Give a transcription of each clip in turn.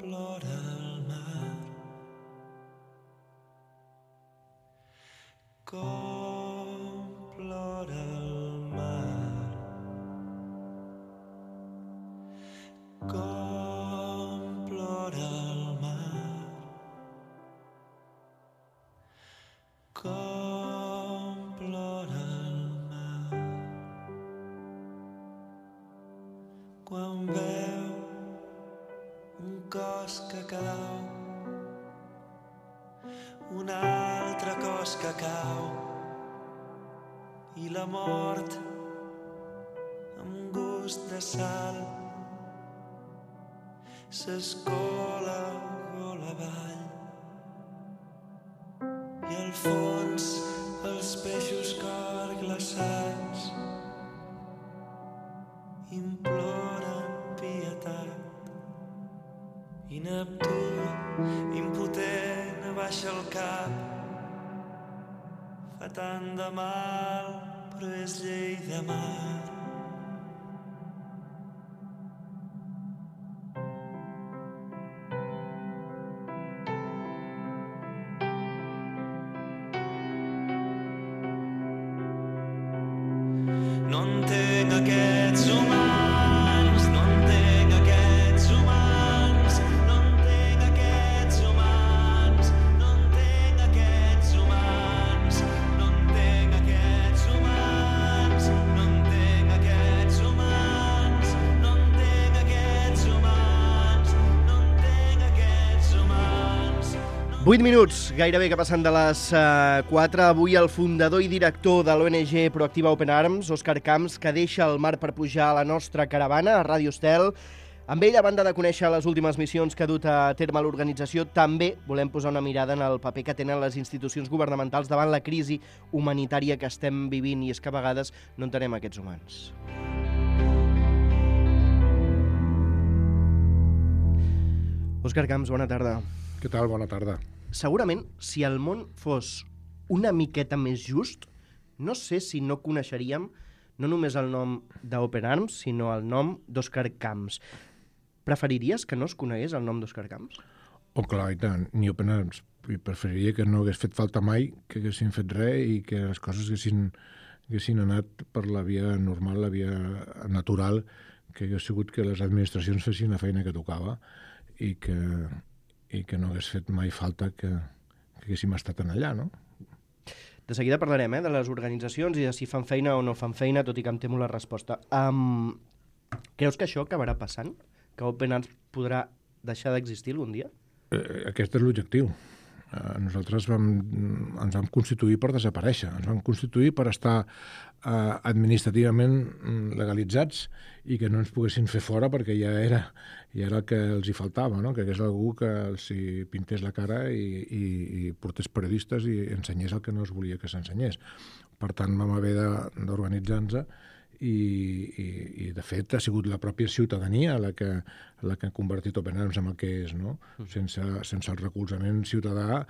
plora el mar, com plora el mar, com plora el mar, com plora el mar, quan veu un cos que cau, un altre cos que cau, i la mort amb gust de sal s'escola gol avall, i al fons els peixos cor glaçats imploren pietat, i Neptú impotent abaixa el cap, fa tant de mal però és llei de mar. No entenc aquests humans, no entenc aquests humans, no entenc aquests humans, no entenc aquests humans, no entenc aquests humans, no entenc aquests humans, no entenc aquests humans, no entenc aquests humans. 8 minuts, gairebé que passen de les 4. Avui el fundador i director de l'ONG Proactiva Open Arms, Òscar Camps, que deixa el mar per pujar a la nostra caravana, a Ràdio Estel. Amb ell, a banda de conèixer les últimes missions que ha dut a terme l'organització, també volem posar una mirada en el paper que tenen les institucions governamentals davant la crisi humanitària que estem vivint, i és que a vegades no entenem aquests humans. Òscar Camps, bona tarda. Què tal? Bona tarda. Segurament, si el món fos una miqueta més just, no sé si no coneixeríem no només el nom d'Open Arms, sinó el nom d'Òscar Camps. Preferiries que no es conegués el nom d'Òscar Camps? Oh, clar, i tant. Ni Open Arms. I preferiria que no hagués fet falta mai, que haguessin fet res i que les coses haguessin anat per la via normal, la via natural, que hagués sigut que les administracions fessin la feina que tocava i que no hagués fet mai falta que haguéssim estat en allà, no? De seguida parlarem de les organitzacions i de si fan feina o no fan feina, tot i que em temo la resposta. Creus que això acabarà passant? Que Open Arms podrà deixar d'existir algun dia? Aquest és l'objectiu. Nosaltres ens vam constituir per desaparèixer, ens vam constituir per estar administrativament legalitzats i que no ens poguessin fer fora perquè ja era el que els hi faltava, no? Que hagués algú que els hi pintés la cara i portés periodistes i ensenyés el que no es volia que s'ensenyés. Per tant, vam haver d'organitzar-nos i de fet ha sigut la pròpia ciutadania la que ha convertit Open Arms en el que és, no? Sense el recolzament ciutadà,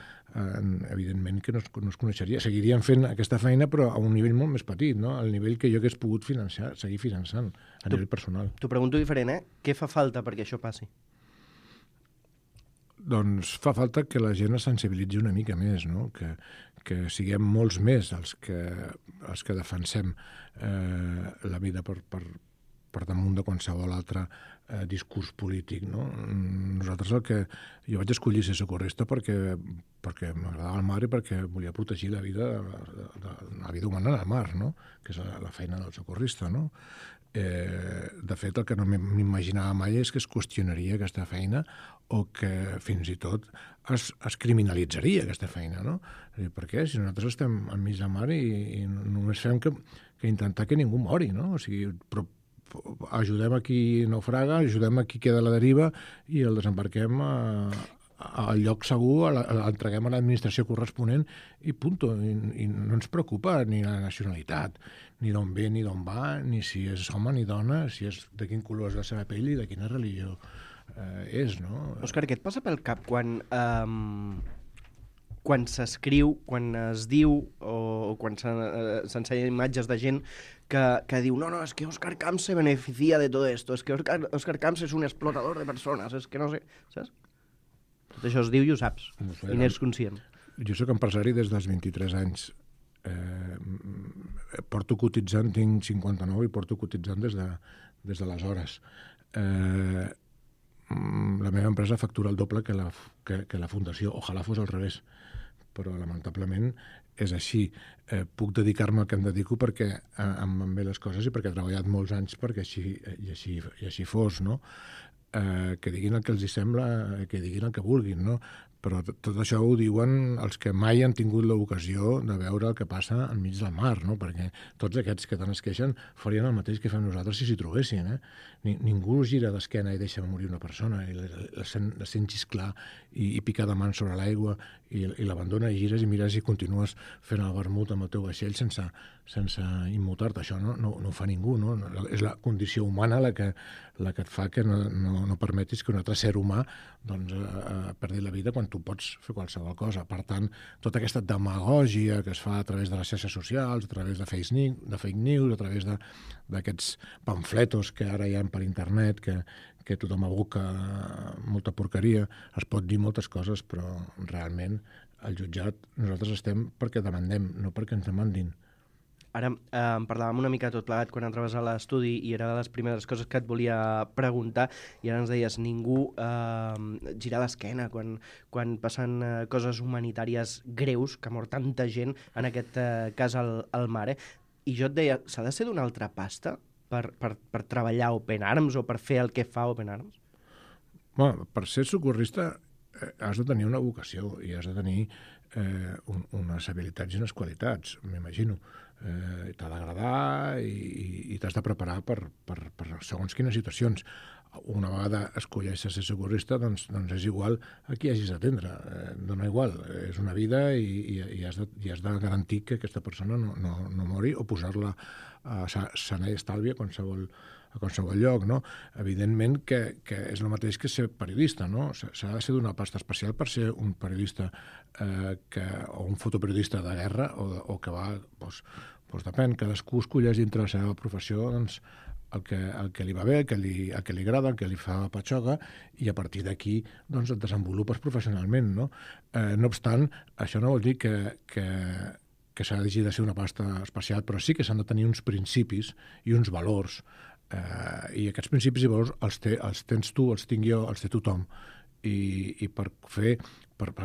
evidentment que no es coneixeria. Seguiríem fent aquesta feina, però a un nivell molt més petit, no? Al nivell que jo hagués pogut seguir finançant a nivell personal. T'ho pregunto diferent, Què fa falta perquè això passi? Doncs fa falta que la gent es sensibilitzi una mica més, no? Que siguem molts més els que defensem la vida per damunt de qualsevol altre discurs polític, no? Nosaltres jo vaig escollir ser socorrista perquè m'agradava el mar i perquè volia protegir la vida humana al mar, no? Que és la feina del socorrista, no? De fet, el que no m'imaginava mai és que es qüestionaria aquesta feina o que fins i tot es criminalitzaria aquesta feina, no? Per què? Si nosaltres estem enmig del mar i només fem que intentar que ningú mori, no? O sigui, ajudem a qui naufraga, ajudem a qui queda a la deriva i el desembarquem al lloc segur, l'entreguem a l'administració corresponent i punto. I no ens preocupa ni la nacionalitat, ni d'on ve ni d'on va, ni si és home ni dona, si és de quin color és la seva pell i de quina religió és, no? Òscar, què et passa pel cap quan quan s'escriu, quan es diu o quan s'ensenyen imatges de gent que diu no, és que Òscar Camps se beneficia de todo esto, es que Òscar Camps és un explotador de persones, és que no sé, saps? Tot això es diu i ho saps, i n'és conscient. Jo sóc empresari des dels 23 anys. Porto cotitzant, tinc 59 i porto cotitzant des d'aleshores. La meva empresa factura el doble que la fundació. Ojalà fos al revés, però lamentablement és així. Puc dedicar-me al que em dedico perquè em van bé les coses i perquè he treballat molts anys perquè així fos, no? Que diguin el que els hi sembla, que diguin el que vulguin, no? Però tot això ho diuen els que mai han tingut l'ocasió de veure el que passa enmig del mar, no? Perquè tots aquests que tant es queixen farien el mateix que fem nosaltres si s'hi trobessin, eh? Ningú gira d'esquena i deixa morir una persona, i la sent xisclar i picar de mans sobre l'aigua i l'abandona i gires i mires i continues fent el vermut amb el teu vaixell sense immutar-te. Això no ho fa ningú, no? És la condició humana la que et fa que no permetis que un altre ser humà perdi la vida quan tu pots fer qualsevol cosa. Per tant, tota aquesta demagògia que es fa a través de les xarxes socials, a través de fake news, a través d'aquests pamfletos que ara hi ha per internet, que tothom aboca molta porqueria, es pot dir moltes coses, però realment al jutjat nosaltres estem perquè demandem, no perquè ens demandin. Ara en parlàvem una mica tot plegat quan entraves a l'estudi i era de les primeres coses que et volia preguntar i ara ens deies, ningú gira l'esquena quan passen coses humanitàries greus, que mor tanta gent, en aquest cas al mar. I jo et deia, s'ha de ser d'una altra pasta per treballar a Open Arms o per fer el que fa Open Arms? Bueno, per ser socorrista has de tenir una vocació i has de tenir unes habilitats i unes qualitats, m'imagino. T'ha d'agradar i t'has de preparar per segons quines situacions. Una vegada escolleixes ser socorrista, doncs és igual a qui hagis d'atendre. Dona igual, és una vida i has de garantir que aquesta persona no mori o posar-la sana i estàlvia a qualsevol lloc, no? Evidentment que és el mateix que ser periodista, no? S'ha de ser d'una pasta especial per ser un periodista o un fotoperiodista de guerra o que va... Doncs depèn, cadascú escolleix dintre la seva professió el que li va bé, el que li agrada, el que li fa patxoga, i a partir d'aquí et desenvolupes professionalment, no? No obstant, això no vol dir que s'ha de ser una pasta especial, però sí que s'han de tenir uns principis i uns valors, i aquests principis i valors els tens tu, els tinc jo, els té tothom, i per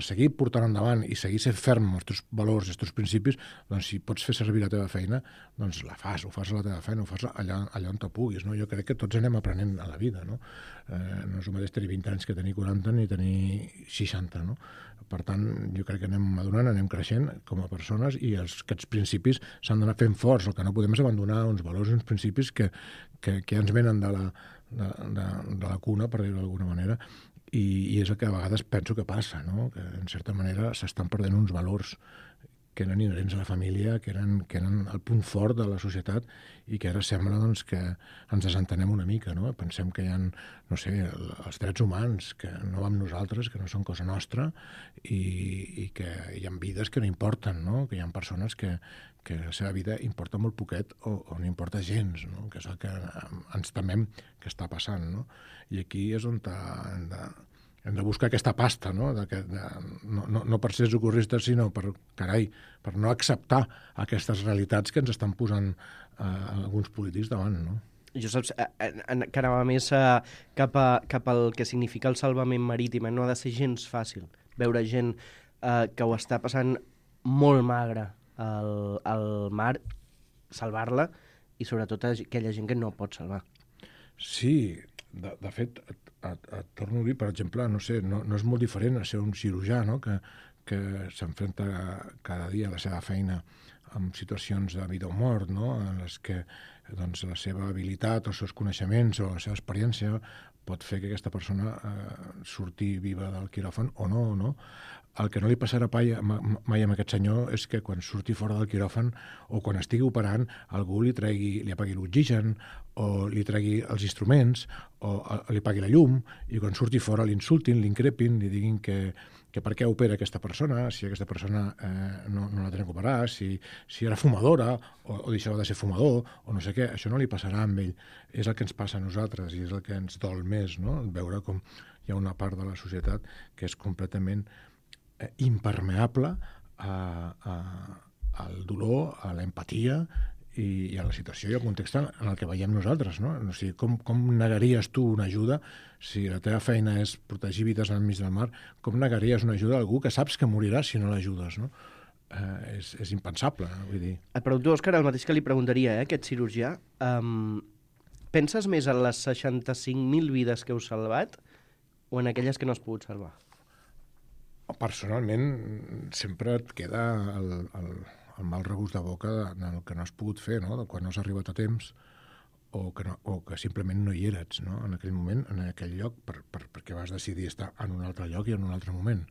seguir portant endavant i seguir ser ferm amb els teus valors i els teus principis, doncs si pots fer servir la teva feina, doncs ho fas a la teva feina, ho fas allà on te puguis, no? Jo crec que tots anem aprenent a la vida, no? No és el mateix tenir 20 anys que tenir 40 ni tenir 60, no? Per tant, jo crec que anem madurant, anem creixent com a persones i aquests principis s'han d'anar fent forts. El que no podem és abandonar uns valors i uns principis que ja ens venen de la cuna, per dir-ho d'alguna manera, i és el que a vegades penso que passa, no? Que en certa manera s'estan perdent uns valors que eren inherents a la família, que eren el punt fort de la societat i que ara sembla que ens desentenem una mica, no? Pensem que hi ha, no sé, els drets humans, que no va amb nosaltres, que no són cosa nostra i que hi ha vides que no importen, no? Que hi ha persones que la seva vida importa molt poquet o no importa gens, no? Que és el que ens temem que està passant, no? I aquí és on hem de buscar aquesta pasta, no? No per ser socorristes, sinó per no acceptar aquestes realitats que ens estan posant alguns polítics davant, no? Jo saps que anava més cap al que significa el salvament marítim. No ha de ser gens fàcil veure gent que ho està passant molt magre al mar, salvar-la, i sobretot aquella gent que no pot salvar. Sí, de fet, et torno a dir, per exemple, no sé, no és molt diferent a ser un cirurgià, no? Que s'enfronta cada dia a la seva feina amb situacions de vida o mort, no? En les que doncs, la seva habilitat, els seus coneixements o la seva experiència pot fer que aquesta persona surti viva del quiròfan o no. El que no li passarà mai a aquest senyor és que quan surti fora del quiròfan o quan estigui operant algú li apagui l'oxigen o li tregui els instruments o li apagui la llum i quan surti fora l'insultin, l'increpin, li diguin que per què opera aquesta persona, si aquesta persona no la tenen que operar, si era fumadora o deixava de ser fumador o no sé què, això no li passarà amb ell. És el que ens passa a nosaltres i és el que ens dol més, no? Veure com hi ha una part de la societat que és completament impermeable al dolor, a l'empatia i a la situació i al context en el que veiem nosaltres, no? O sigui, com negaries tu una ajuda si la teva feina és protegir vides enmig del mar? Com negaries una ajuda a algú que saps que morirà si no l'ajudes, no? És impensable, vull dir. Et pregunto, Òscar, el mateix que li preguntaria a aquest cirurgià. Penses més en les 65.000 vides que heu salvat o en aquelles que no has pogut salvar? Personalment, sempre et queda el mal regust de boca del que no has pogut fer, no? De quan no has arribat a temps o que simplement no hi eres, no? En aquell moment, en aquell lloc, perquè vas decidir estar en un altre lloc i en un altre moment.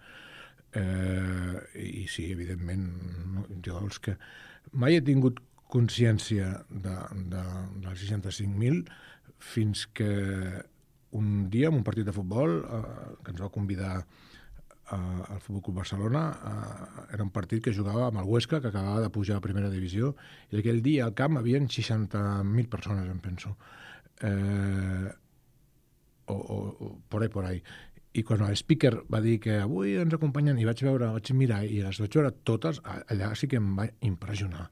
I sí, evidentment, no? Jo els que mai he tingut consciència dels 65.000 fins que un dia, en un partit de futbol, que ens va convidar al Futbol Club Barcelona, era un partit que jugava amb el Huesca, que acabava de pujar a primera divisió, i aquell dia al camp hi havia 60.000 persones, em penso. O por ahí. I quan el speaker va dir que avui ens acompanyen, i vaig mirar, i les vaig veure totes, allà sí que em va impressionar.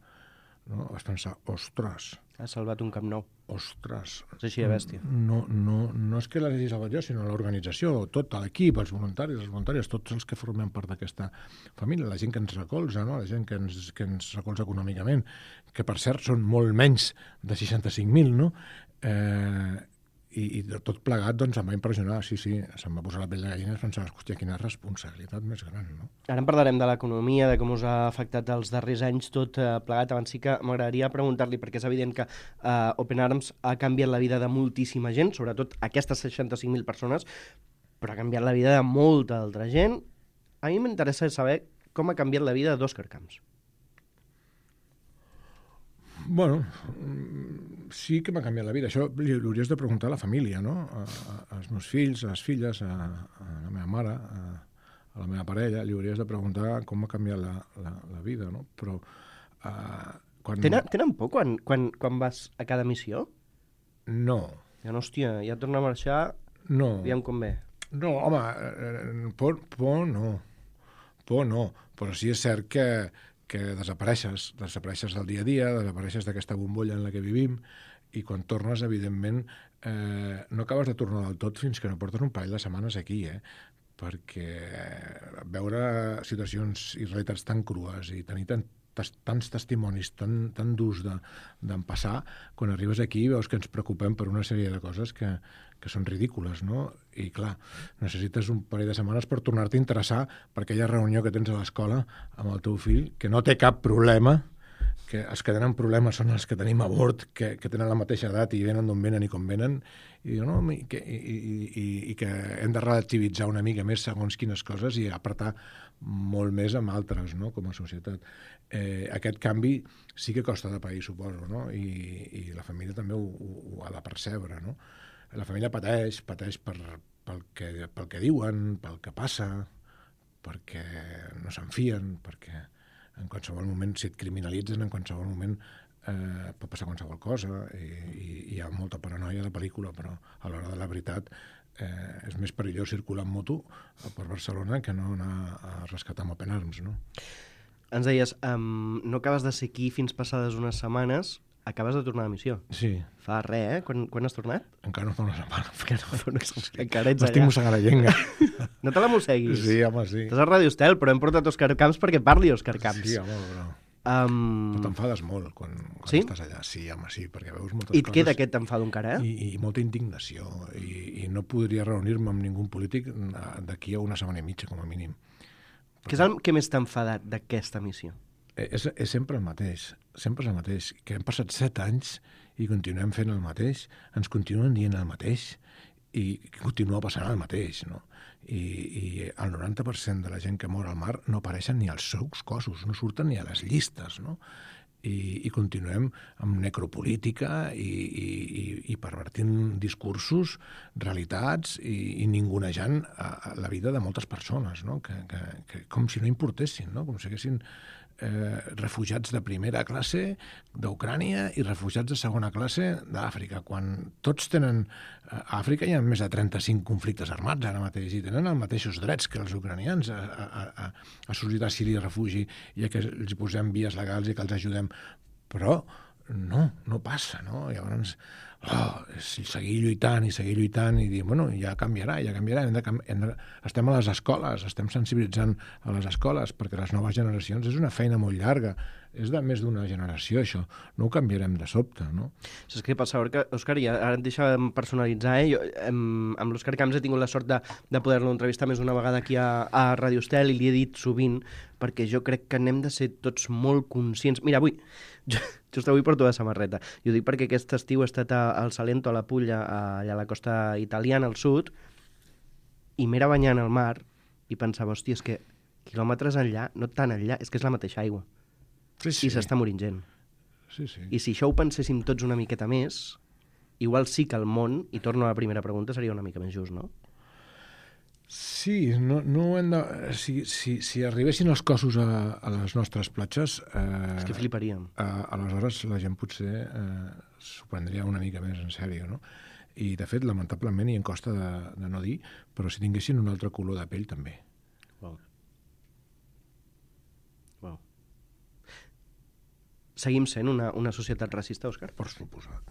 No? Vaig pensar, ostres... Has salvat un Camp Nou. Ostres... És així de bèstia. No és que l'hagi salvat jo, sinó l'organització, tot l'equip, els voluntaris, les voluntàries, tots els que formem part d'aquesta família, la gent que ens recolza, no? La gent que ens recolza econòmicament, que per cert són molt menys de 65.000, no? I tot plegat doncs em va impressionar, sí, se'm va posar la pell de gallina i pensava, hòstia, quina responsabilitat més gran, no? Ara en parlarem de l'economia, de com us ha afectat els darrers anys tot plegat. Abans sí que m'agradaria preguntar-li, perquè és evident que Open Arms ha canviat la vida de moltíssima gent, sobretot aquestes 65.000 persones, però ha canviat la vida de molta altra gent. A mi m'interessa saber com ha canviat la vida d'Òscar Camps. Bueno, sí que m'ha canviat la vida. Això li hauries de preguntar a la família, no? Als meus fills, a les filles, a la meva mare, a la meva parella, li hauries de preguntar com ha canviat la vida, no? Però... Tenen por quan vas a cada missió? No. Ja no, hòstia, ja torna a marxar, no. aviam com ve. No, home, por no. Por no, però sí és cert que desapareixes del dia a dia, desapareixes d'aquesta bombolla en la que vivim i quan tornes, evidentment, no acabes de tornar del tot fins que no portes un parell de setmanes aquí, perquè veure situacions i realitats tan crues i tenir tants testimonis tan durs d'empassar, quan arribes aquí veus que ens preocupem per una sèrie de coses que són ridícules, no? I clar, necessites un parell de setmanes per tornar-te a interessar per aquella reunió que tens a l'escola amb el teu fill, que no té cap problema, que els que tenen problemes són els que tenim a bord, que tenen la mateixa edat i venen d'on venen i com venen, i que hem de relativitzar una mica més segons quines coses i apretar molt més amb altres, no?, com a societat. Aquest canvi sí que costa de pair, suposo, no? I la família també ho ha de percebre, no? La família pateix pel que diuen, pel que passa, perquè no se'n fien, perquè en qualsevol moment, si et criminalitzen, en qualsevol moment pot passar qualsevol cosa i hi ha molta paranoia a la pel·lícula, però a l'hora de la veritat és més perillós circular en moto per Barcelona que no anar a rescatar amb Open Arms, no? Ens deies, no acabes de ser aquí fins passades unes setmanes, acabes de tornar a missió. Sí. Fa res, Quan has tornat? Encara no fa una setmana. Encara ets allà. M'estic mossegant la llengua. No te la mosseguis. Sí, home, sí. Estàs a Ràdio Estel, però hem portat Òscar Camps perquè parli Òscar Camps. Sí, home, però... Però t'enfades molt quan estàs allà. Sí, home, sí, perquè veus moltes coses... I et queda aquest enfado encara, I molta indignació. I no podria reunir-me amb ningú polític d'aquí a una setmana i mitja, com a mínim. Què és el que més t'ha enfadat d'aquesta missió? és sempre el mateix, que hem passat 7 anys i continuem fent el mateix, ens continuen dient el mateix i continua passant el mateix, no? I el 90% de la gent que mor al mar no apareixen ni als seus cossos, no surten ni a les llistes, no? I continuem amb necropolítica i pervertint discursos, realitats i ningunejant la vida de moltes persones, no? Que com si no importessin, no? Com si haguessin refugiats de primera classe d'Ucrània i refugiats de segona classe d'Àfrica, quan tots tenen... A Àfrica hi ha més de 35 conflictes armats ara mateix i tenen els mateixos drets que els ucranians a sol·licitar asili i refugi i a que els posem vies legals i que els ajudem. Però no passa, no? Llavors, seguir lluitant i dir, bueno, ja canviarà. Estem a les escoles, estem sensibilitzant a les escoles perquè les noves generacions és una feina molt llarga, és de més d'una generació, això. No ho canviarem de sobte, no? Saps què passa, Òscar? I ara et deixa'm personalitzar, Jo, amb l'Òscar Camps he tingut la sort de poder-lo entrevistar més d'una vegada aquí a Ràdio Estel i li he dit sovint, perquè jo crec que n'hem de ser tots molt conscients. Mira, avui, just avui porto la samarreta, i ho dic perquè aquest estiu he estat al Salento, a la Pulla, allà a la costa italiana, al sud, i m'era banyant al mar i pensava, hòstia, és que quilòmetres enllà, no tan enllà, és que és la mateixa aigua. Sí. I s'està morint gent. Sí. I si això ho penséssim tots una miqueta més, igual sí que el món, i torno a la primera pregunta, seria una mica més just, no? Sí, no hem de... Si arribessin els cossos a les nostres platges... És que fliparíem. Aleshores la gent potser s'ho prendria una mica més en sèrio, no? I, de fet, lamentablement, i em costa de no dir, però si tinguessin un altre color de pell, també. Wow. Seguim sent una societat racista, Òscar? Per suposat.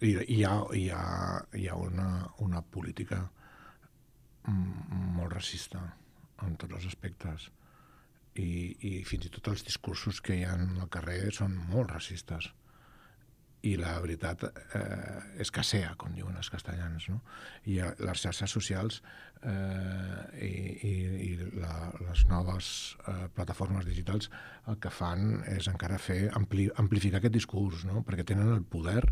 Hi ha una política molt racista en tots els aspectes i fins i tot els discursos que hi ha al carrer són molt racistes i la veritat és casea, com diuen els castellans, no? I les xarxes socials i les noves plataformes digitals el que fan és encara amplificar aquest discurs, no? Perquè tenen el poder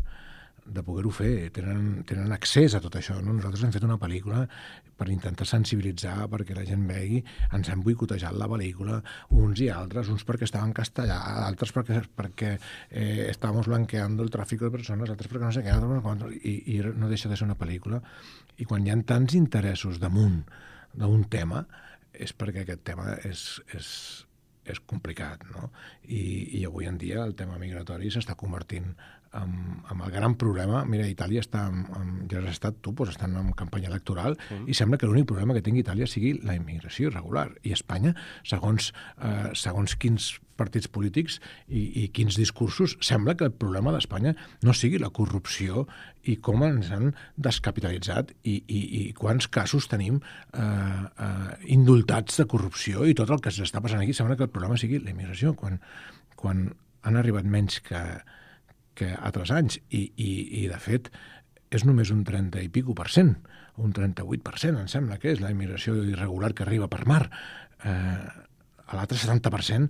de poder-ho fer, tenen accés a tot això, no? Nosaltres hem fet una pel·lícula per intentar sensibilitzar, perquè la gent vegi, ens han boicotejat la pel·lícula, uns i altres, uns perquè estaven en castellà, altres perquè estàvem blanqueando el tràfic de persones, altres perquè no sé què, i no deixa de ser una pel·lícula. I quan hi ha tants interessos damunt d'un tema, és perquè aquest tema és complicat, no? I avui en dia el tema migratori s'està convertint en el gran problema. Mira, Itàlia està, ja has estat tu, doncs estan en campanya electoral i sembla que l'únic problema que tingui Itàlia sigui la immigració irregular. I Espanya, segons quins partits polítics i quins discursos, sembla que el problema d'Espanya no sigui la corrupció i com ens han descapitalitzat i quants casos tenim indultats de corrupció i tot el que s'està passant aquí. Sembla que el problema sigui la immigració, quan han arribat menys que altres anys i de fet és només un 30 i pico %, un 38% em sembla que és la immigració irregular que arriba per mar. L'altre 70%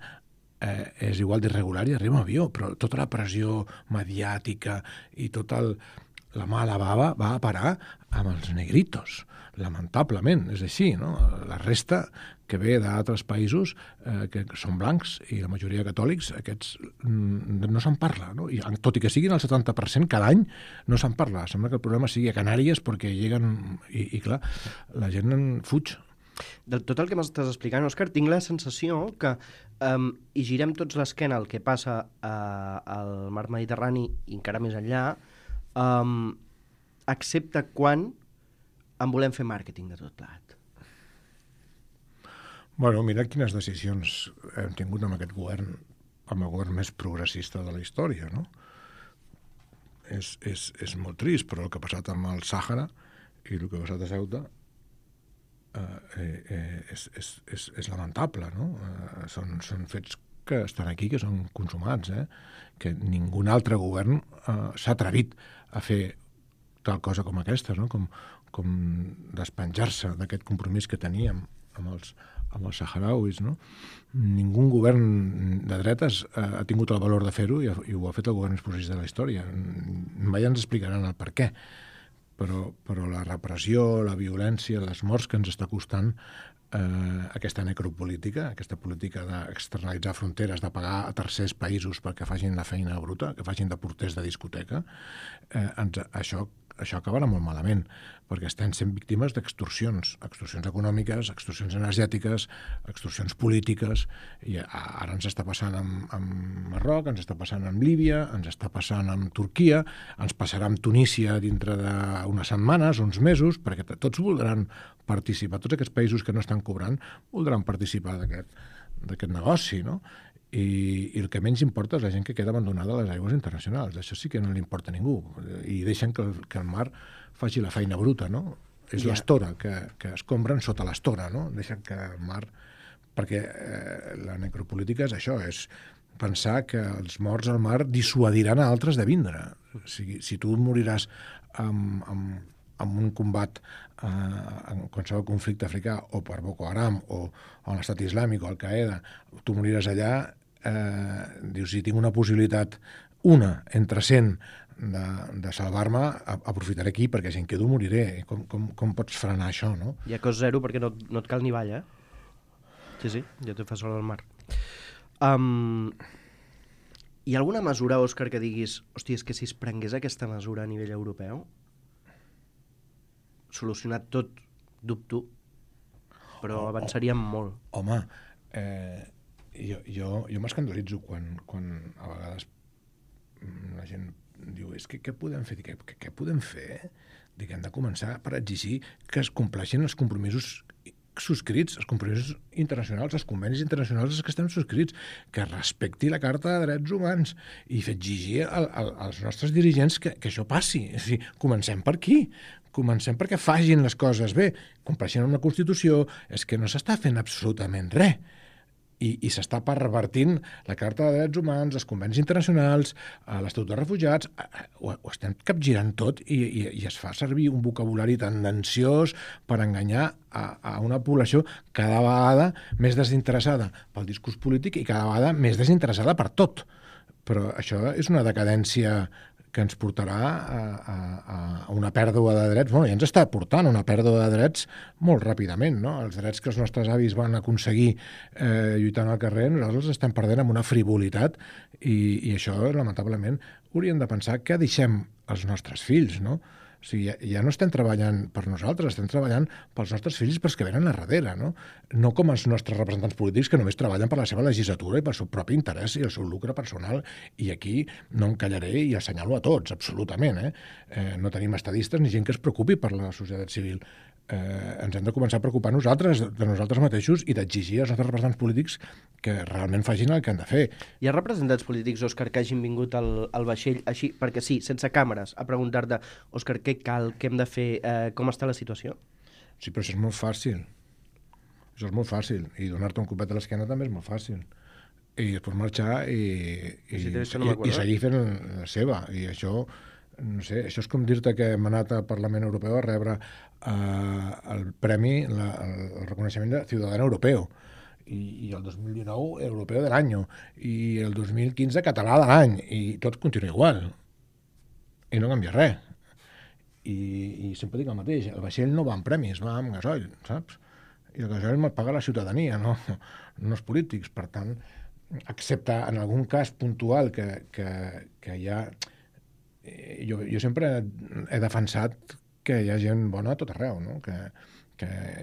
és igual d'irregular i arriba en avió, però tota la pressió mediàtica i tota la mala bava va a parar amb els negritos, lamentablement, és així, no? La resta que ve d'altres països que són blancs i la majoria catòlics, aquests no se'n parla, no? I, tot i que siguin el 70% cada any, no se'n parla. Sembla que el problema sigui a Canàries perquè lleguen i clar, la gent en fuig. De tot el que m'estàs explicant, Òscar, tinc la sensació que hi girem tots l'esquena al que passa al mar Mediterrani i encara més enllà, excepte quan en volem fer màrqueting de tot plat. Bueno, mira quines decisions hem tingut amb aquest govern, amb el govern més progressista de la història, no? És molt trist, però el que ha passat amb el Sàhara i el que ha passat a Ceuta és lamentable, no? Són fets que estan aquí, que són consumats, que ningú altre govern s'ha atrevit a fer tal cosa com aquesta, no? Com despenjar-se d'aquest compromís que teníem amb els saharauis, no? Ningú govern de dretes ha tingut el valor de fer-ho i ho ha fet el govern més progressista de la història. Mai ens explicaran el per què, però la repressió, la violència, les morts que ens està costant aquesta necropolítica, aquesta política d'externalitzar fronteres, de pagar a tercers països perquè facin la feina bruta, que facin de porters de discoteca, això acabarà molt malament, perquè estem sent víctimes d'extorsions econòmiques, extorsions energètiques, extorsions polítiques, i ara ens està passant amb Marroc, ens està passant amb Líbia, ens està passant amb Turquia, ens passarà amb Tunísia dintre d'unes setmanes, uns mesos, perquè tots voldran participar, tots aquests països que no estan cobrant voldran participar d'aquest negoci, no? I el que menys importa és la gent que queda abandonada a les aigües internacionals. Això sí que no li importa a ningú. I deixen que el mar faci la feina bruta, no? És l'estora, que es compren sota l'estora, no? Deixen que el mar... Perquè la necropolítica és això, és pensar que els morts al mar dissuadiran a altres de vindre. O sigui, si tu moriràs amb un combat en qualsevol conflicte africà, o per Boko Haram, o l'Estat Islàmic, o Al-Qaeda, tu moriràs allà, dius, si tinc una possibilitat, una entre 100 de salvar-me, aprofitaré aquí, perquè si em quedo moriré. Com pots frenar això, no? Hi ha cost zero perquè no et cal ni balla, Sí, ja te fa sol al mar. Hi ha alguna mesura, Òscar, que diguis, hòstia, és que si es prengués aquesta mesura a nivell europeu, solucionat tot, dubto, però avançaríem molt. Home, jo m'escandalitzo quan a vegades la gent diu, és que què podem fer? Què podem fer? Dic, hem de començar per exigir que es compleixin els compromisos subscrits, els compromisos internacionals, els convenis internacionals que estem subscrits, que respecti la Carta de Drets Humans i exigir als nostres dirigents que això passi. És a dir, comencem per aquí. Comencem perquè facin les coses bé, compleixin amb la Constitució, és que no s'està fent absolutament res. I s'està pervertint la Carta de Drets Humans, els convenis internacionals, l'Estatut de Refugiats, ho estem capgirant tot i es fa servir un vocabulari tendenciós per enganyar a una població cada vegada més desinteressada pel discurs polític i cada vegada més desinteressada per tot. Però això és una decadència que ens portarà a una pèrdua de drets. Bueno, ja ens està portant una pèrdua de drets molt ràpidament, no? Els drets que els nostres avis van aconseguir lluitant al carrer, nosaltres els estem perdent amb una frivolitat i això, lamentablement, hauríem de pensar què deixem als nostres fills, no? O sigui, ja no estem treballant per nosaltres, estem treballant pels nostres fills i pels que venen a darrere, no? No com els nostres representants polítics que només treballen per la seva legislatura i pel seu propi interès i el seu lucre personal. I aquí no em callaré i assenyalo a tots, absolutament. No tenim estadistes ni gent que es preocupi per la societat civil. Ens hem de començar a preocupar de nosaltres mateixos i d'exigir als nostres representants polítics que realment facin el que han de fer. Hi ha representants polítics, Òscar, que hagin vingut al vaixell així, perquè sí, sense càmeres, a preguntar-te, Òscar, què cal, què hem de fer, com està la situació? Sí, però això és molt fàcil. Això és molt fàcil. I donar-te un copet a l'esquena també és molt fàcil. I després marxar i seguir fent la seva. I això, no sé, això és com dir-te que hem anat al Parlament Europeu a rebre el premi, el reconeixement de Ciudadano Europeu. I el 2019 Europeu de l'any, i el 2015 Català de l'any, i tot continua igual. I no canvia res. I sempre dic el mateix, el vaixell no va amb premis, va amb gasoil, saps? I el gasoil me'l paga la ciutadania, no els polítics. Per tant, excepte en algun cas puntual que hi ha... Jo sempre he defensat que hi ha gent bona a tot arreu, no? Que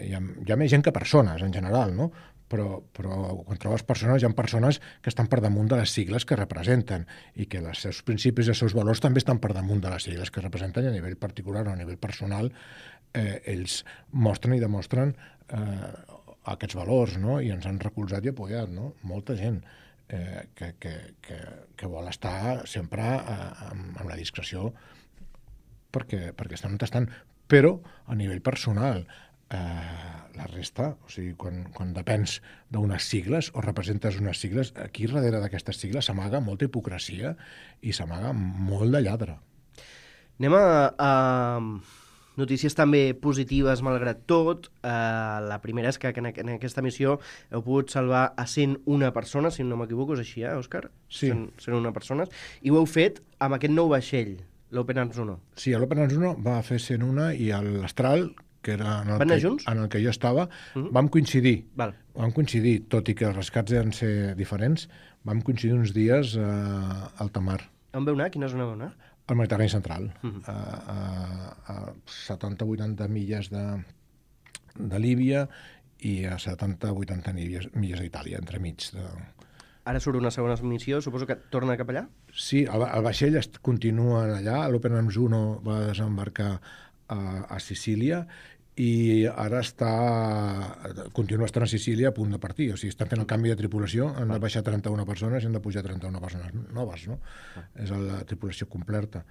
hi ha més gent que persones, en general, no? Però quan trobes persones, hi ha persones que estan per damunt de les sigles que representen i que els seus principis i els seus valors també estan per damunt de les sigles que representen, i a nivell particular o a nivell personal ells mostren i demostren aquests valors, no? I ens han recolzat i apoyat, no? Molta gent que vol estar sempre amb la discreció perquè estan on estan, però a nivell personal la resta, o sigui, quan depens d'unes sigles o representes unes sigles, aquí darrere d'aquestes sigles s'amaga molta hipocresia i s'amaga molt de lladre. Anem a Notícies també positives, malgrat tot. La primera és que en aquesta missió heu pogut salvar a 101 persones, si no m'equivoco, és així, Òscar? Sí. 101 persones. I ho heu fet amb aquest nou vaixell, l'Open Arms 1. Sí, l'Open Arms 1 va fer 101 i l'Astral, que era Van anar junts? en el que jo estava, vam coincidir. Val. Vam coincidir, tot i que els rescats eren ser diferents, vam coincidir uns dies a alta mar. On veu anar? Quina zona veu anar? Al Mediterrani central, a 70-80 milles de Líbia i a 70-80 milles d'Itàlia, entremig. Ara surt una segona missió, suposo que torna cap allà? Sí, el vaixell continua allà, l'Open Arms 1 va desembarcar a Sicília i ara continua estant a Sicília a punt de partir. O sigui, estan fent el canvi de tripulació, han de baixar 31 persones i han de pujar 31 persones noves, no? És la tripulació completa.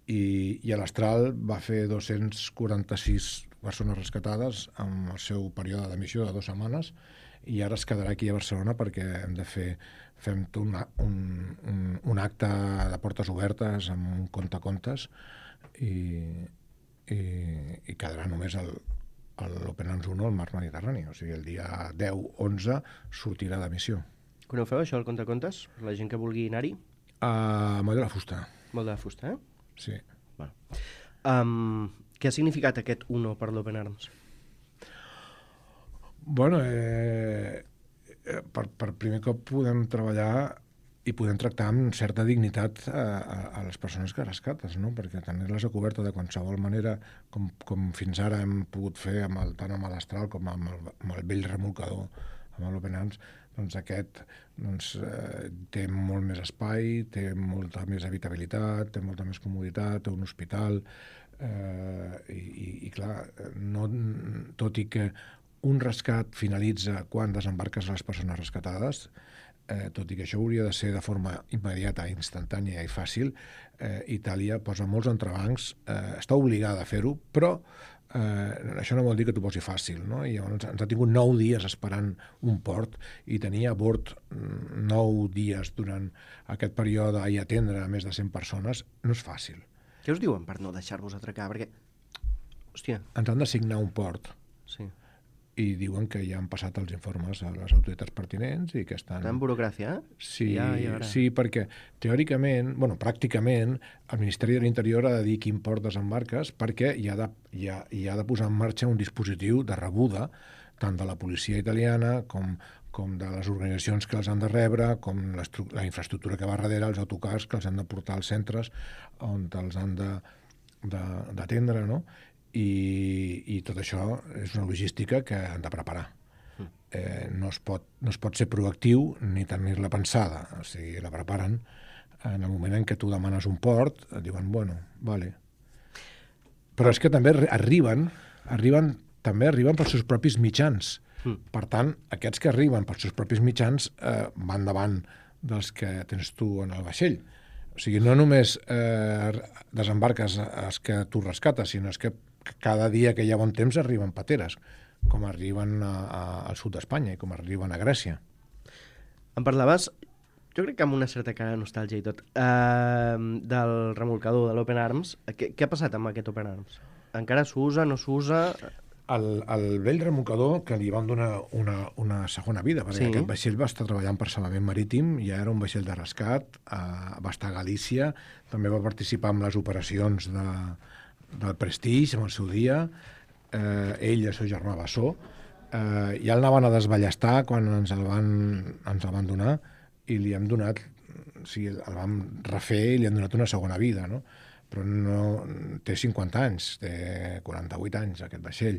I l'Astral va fer 246 persones rescatades amb el seu període de missió de 2 setmanes i ara es quedarà aquí a Barcelona perquè fem un acte de portes obertes amb un contes i quedarà només l'Open Arms 1 al mar Mediterrani. O sigui, el dia 10-11 sortirà de missió. Quan ho feu, això, el contes? La gent que vulgui anar-hi? A Moll de la Fusta. Molt de fusta, Sí. Bueno. Què ha significat aquest 1 per l'Open Arms? Bueno, per primer cop podem treballar i podem tractar amb certa dignitat a les persones que rescates, no? Perquè tenir-les a coberta de qualsevol manera, com fins ara hem pogut fer tant amb l'Astral com amb el vell remolcador, amb l'Open Arms, doncs aquest té molt més espai, té molta més habitabilitat, té molta més comoditat, té un hospital, i clar, tot i que un rescat finalitza quan desembarques les persones rescatades, tot i que això hauria de ser de forma immediata, instantània i fàcil, Itàlia posa molts entrebancs, està obligada a fer-ho, però això no vol dir que t'ho posi fàcil, no? I llavors ens ha tingut 9 dies esperant un port i tenir a bord 9 dies durant aquest període i atendre a més de 100 persones no és fàcil. Què us diuen per no deixar-vos atracar? Perquè, hòstia... Ens han d'assignar un port. Sí. I diuen que ja han passat els informes a les autoritats pertinents i que estan... Tan burocràcia, Sí, sí, perquè teòricament, pràcticament, el Ministeri de l'Interior ha de dir quin port desembarques perquè hi ha de posar en marxa un dispositiu de rebuda tant de la policia italiana com de les organitzacions que els han de rebre, com la infraestructura que va darrere, els autocars que els han de portar als centres on els han d'atendre, no? I tot això és una logística que han de preparar. No es pot ser proactiu ni tenir-la pensada. O sigui, la preparen en el moment en què tu demanes un port, et diuen, bueno, vale. Però és que també arriben pels seus propis mitjans. Per tant, aquests que arriben pels seus propis mitjans van davant dels que tens tu en el vaixell. O sigui, no només desembarques els que tu rescates, sinó que cada dia que hi ha bon temps arriben pateres, com arriben al sud d'Espanya i com arriben a Grècia. Em parlaves, jo crec que amb una certa cara de nostàlgia i tot, del remolcador, de l'Open Arms. Què ha passat amb aquest Open Arms? Encara s'usa, no s'usa? El vell remolcador, que li van donar una segona vida, perquè aquest vaixell va estar treballant per salvament marítim, ja era un vaixell de rescat, va estar a Galícia, també va participar en les operacions del Prestige en el seu dia, ell i el seu germà Bassó, ja el anaven a desballestar quan ens el van donar i li hem donat, o sigui, el vam refer i li hem donat una segona vida, no? Però no té 50 anys, té 48 anys aquest vaixell,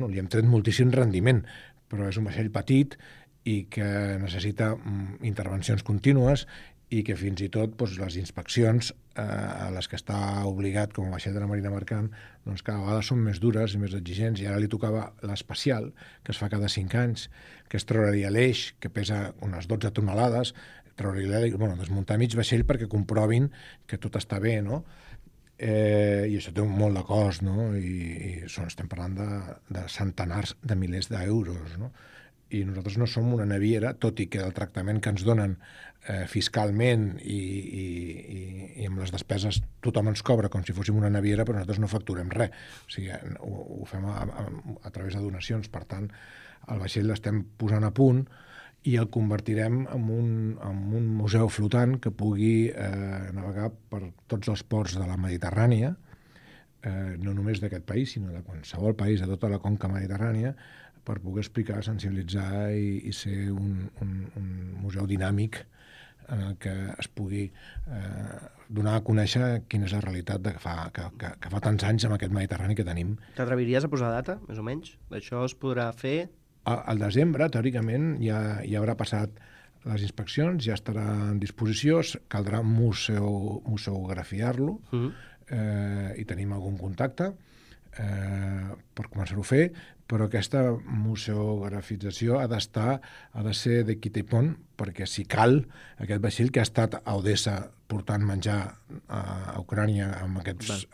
li hem tret moltíssim rendiment, però és un vaixell petit i que necessita intervencions contínues i que fins i tot les inspeccions a les que està obligat com a vaixell de la Marina Mercant doncs cada vegada són més dures i més exigents, i ara li tocava l'especial, que es fa cada 5 anys, que es treuraria l'eix, que pesa unes 12 tonelades, desmuntar mig vaixell perquè comprovin que tot està bé, no? I això té molt de cost, no? I estem parlant de centenars de milers d'euros, no? i nosaltres no som una naviera, tot i que el tractament que ens donen fiscalment i amb les despeses tothom ens cobra com si fóssim una naviera, però nosaltres no facturem res. O sigui, ho fem a través de donacions. Per tant, el vaixell l'estem posant a punt i el convertirem en un museu flotant que pugui navegar per tots els ports de la Mediterrània, no només d'aquest país, sinó de qualsevol país, de tota la conca mediterrània, per poder explicar, sensibilitzar i ser un museu dinàmic en el que es pugui donar a conèixer quina és la realitat que fa tants anys amb aquest Mediterrani que tenim. T'atreviries a posar data, més o menys? Això es podrà fer? Al desembre, teòricament, ja haurà passat les inspeccions, ja estarà en disposició, caldrà museografiar-lo, i tenim algun contacte per començar-ho a fer, però aquesta museografització ha de ser de quita i pont, perquè si cal, aquest vaixell que ha estat a Odessa portant menjar a Ucrània amb aquests